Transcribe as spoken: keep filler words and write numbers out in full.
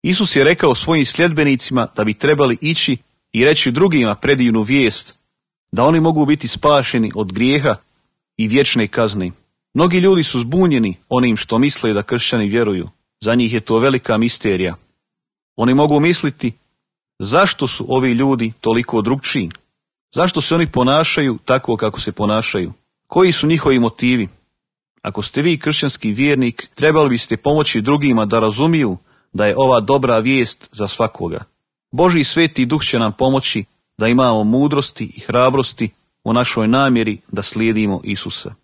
Isus je rekao svojim sljedbenicima da bi trebali ići i reći drugima predivnu vijest, da oni mogu biti spašeni od grijeha i vječne kazne. Mnogi ljudi su zbunjeni onim što misle da kršćani vjeruju. Za njih je to velika misterija. Oni mogu misliti, zašto su ovi ljudi toliko drukčiji? Zašto se oni ponašaju tako kako se ponašaju? Koji su njihovi motivi? Ako ste vi kršćanski vjernik, trebali biste pomoći drugima da razumiju da je ova dobra vijest za svakoga. Božji sveti duh će nam pomoći da imamo mudrosti i hrabrosti u našoj namjeri da slijedimo Isusa.